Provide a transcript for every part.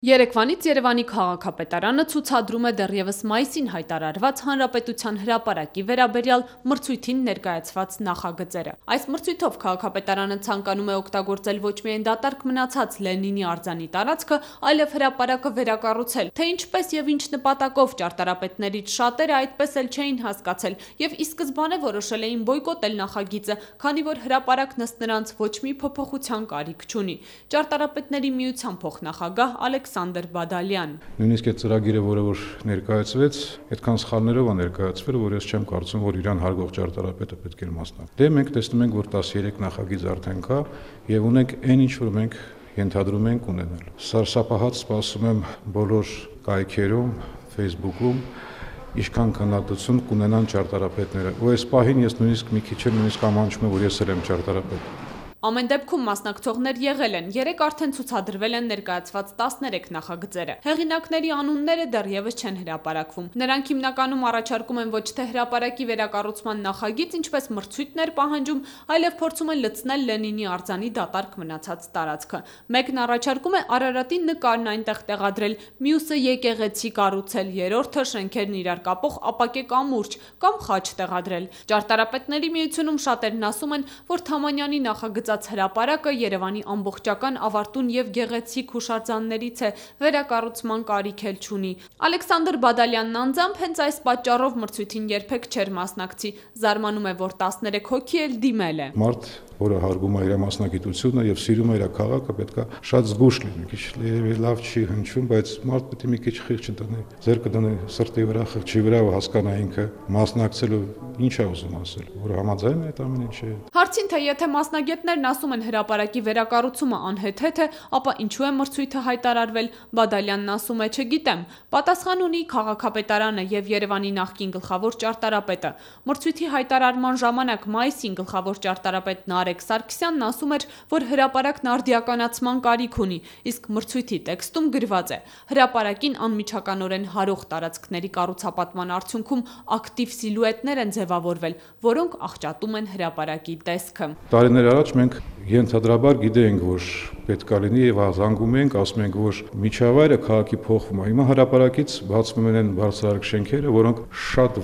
Երեկվանից Երևանի քաղաքապետարանը ցուցադրում է դեռևս մայիսին հայտարարված Հանրապետության հրապարակի վերաբերյալ մրցույթին ներկայացված նախագծերը։ Այս մրցույթով քաղաքապետարանը ցանկանում է օգտագործել ոչ միայն դատարկ մնացած Լենինի արձանի տարածքը, այլև հրապարակը վերակառուցել, թե ինչպես եւ ինչ նպատակով ճարտարապետներից շատերը այդպես էլ չէին հասկացել եւ ի սկզբանե որոշել էին բոյկոտել նախագիծը, քանի որ հրապարակն ըստ նրանց ոչ մի փոփոխության կարիք չունի։ Ճարտարապետների միության փոխնախագահ Ալեքսանդր Բադալյան. Նույնիսկ այդ ծրագիրը, որը որ ներկայացվեց, այդքան սխալներով է ներկայացվել, որ ես չեմ կարծում, որ իրան հարգող ճարտարապետը պետք է մասնակցի։ Դե մենք տեսնում ենք, որ 13 նախագիծ արդեն կա եւ ունենք այն ինչ որ մենք ենթադրում ենք ունենալ։ Սարսափահաց սպասում եմ բոլոր կայքերում, Facebook-ում ինչքան քննադատություն կունենան ճարտարապետները։ Ու այս պահին ես նույնիսկ մի քիչ ամաչում եմ, որ ես էլ եմ ճարտարապետ։ Ամեն դեպքում մասնակցողներ եղել են, 3 արդեն ցուցադրվել են ներկայացված 13 նախագծերը։ Հեղինակների անունները դեռևս չեն հրապարակվում։ Նրանք հիմնականում առաջարկում են ոչ թե հրապարակի վերակառուցման նախագիծ, ինչպես մրցույթներ պահանջում, այլև փորձում են լցնել Լենինի արձանի դատարկ մնացած տարածքը։ Մեկն առաջարկում է Արարատի նկարն այնտեղ տեղադրել, մյուսը եկեղեցի կառուցել, երրորդը շենքերն իրար կապող ապակե կամուրջ կամ խաչ տեղադրել։ Ճարտարապետների միությունում շատերն ասում են, որ Թամանյանի նախագծած հրապարակը Երևանի ամբողջական ավարտուն եւ գեղեցիկ հուշարձաններից է, վերակառուցման կարիք էլ չունի։ Ալեքսանդր Բադալյանն անձամբ հենց այս պատճառով մրցույթին երբեք չէր մասնակցի, զարմանում է, որ 13 հոգի էլ դիմել է։ Մարդ, որը հարգում է իր մասնակցությունը եւ սիրում է իր քաղաքը, պետքա շատ զգուշ լինի, քիչ լավ չի հնչում, բայց մարդ պետք է մի քիչ խիղճ դնի, ձեռքը դնի սրտի վրա, խղճի վրա ու հասկանա ինքը մասնակցելու ինչ է ուզում ասել, որ համաձայն է այդ ամեն ինչը։ Հարցին, թե եթե մասնագետներն ասում են հրապարակի վերակառուցումը անհեթեթ է, ապա ինչու է մրցույթը հայտարարվել, Բադալյանն ասում է չգիտեմ։ Պատասխան ունի քաղաքապետարանը եւ Երևանի նախկին գլխավոր ճարտարապետը։ Մրցույթի հայտարարման ժամանակ մայիսին գլխավոր ճարտարապետ Նարեկ Սարգսյանն ասում էր, որ հրապարակն արդիականացման կարիք ունի, իսկ մրցույթի տեքստում գրված է. հրապարակին անմիջականորեն հարող տարածքների կառուցապատման արդյունքում ակտիվ սիլուետներ են ձևավորվել, որոնք աղճատում են հրապարակի տեսքը։ Տարիներ առաջ մենք ենթադրաբար գիտեինք, որ պետք է լինի եւ զանգում ենք, ասում ենք, որ միջավայրը քաղաքի փոխվում է։ Հիմա հրապարակից բացվում են բարձրարկ շենքերը, որոնք շատ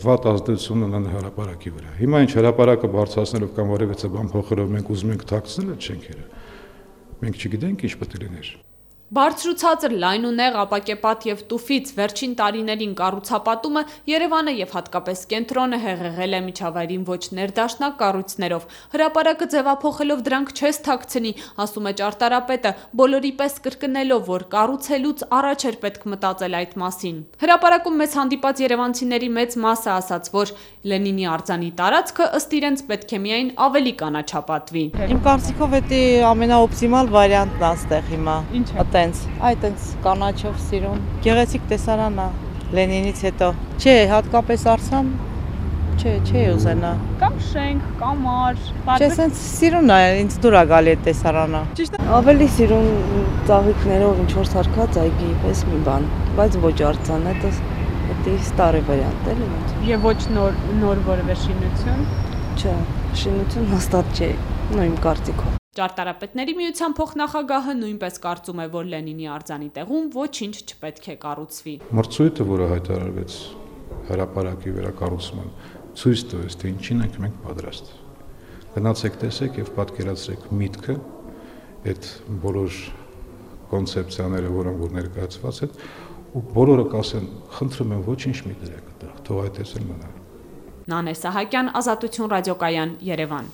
վատ ազդեցություն ունեն հրապարակի վրա։ Հիմա ինչ հրապարակը բարձրացնելով կամ որևէ բան փոխելով մենք ուզում ենք թաքցնել այդ շենքերը։ Մենք չգիտենք ինչ պետք է լիներ։ Բարձրացած լայնունեղ ապակեպատ եւ տուֆից վերջին տարիներին կառուցապատումը Երևանը եւ հատկապես կենտրոնը հեղեղել է միջավայրին ոչ ներդաշնակ կառույցներով։ Հրապարակը ձևափոխելով դրանք չես թաքցնի, ասում է ճարտարապետը, բոլորի պես կրկնելով, որ կառուցելուց առաջ էր պետք մտածել այդ մասին։ Հրապարակում մեզ հանդիպած երևանցիների մեծ մասը ասաց, որ Լենինի արձանի տարածքը ըստ իրենց պետք է միայն ավելի կանաչապատվի։ Իմ կարծիքով դա ամենաօպտիմալ վարիանտն է այստեղ հիմա։ Այտենց կանաչով սիրուն, գեղեցիկ տեսարան է Լենինից հետո։ Չէ, հատկապես արձան, չէ ուզենա։ Կամ շենք, կամար։ Չէ, սենց սիրուն է, ինձ դուր է գալի այդ տեսարանը։ Ավելի սիրուն ծաղիկներով ինչ որ սարքած այգի պես մի բան, բայց ոչ արձան, դա ստարի վարիանտ էլի ոնց։ Եվ ոչ նոր որևէ շինություն։ Չէ, շինություն հաստատ չէ, իմ կարծիքով։ Ճարտարապետների միության փոխնախագահը նույնպես կարծում է, որ Լենինի արձանի տեղում ոչինչ չպետք է կառուցվի։ Մրցույթը, որը հայտարարվեց հրապարակի վերակառուցման, ցույց տվեց, թե ինչին ենք մենք պատրաստ։ Գնացեք տեսեք եւ պատկերացրեք միտքը, այդ բոլոր կոնցեպցիաները, որոնք որ ներկայացված են, ու բոլորը կասեն, խնդրում եմ ոչինչ մի դրեք այդտեղ, թող այդպես էլ մնա։ Նանե Սահակյան, Ազատություն ռադիոկայան, Երևան։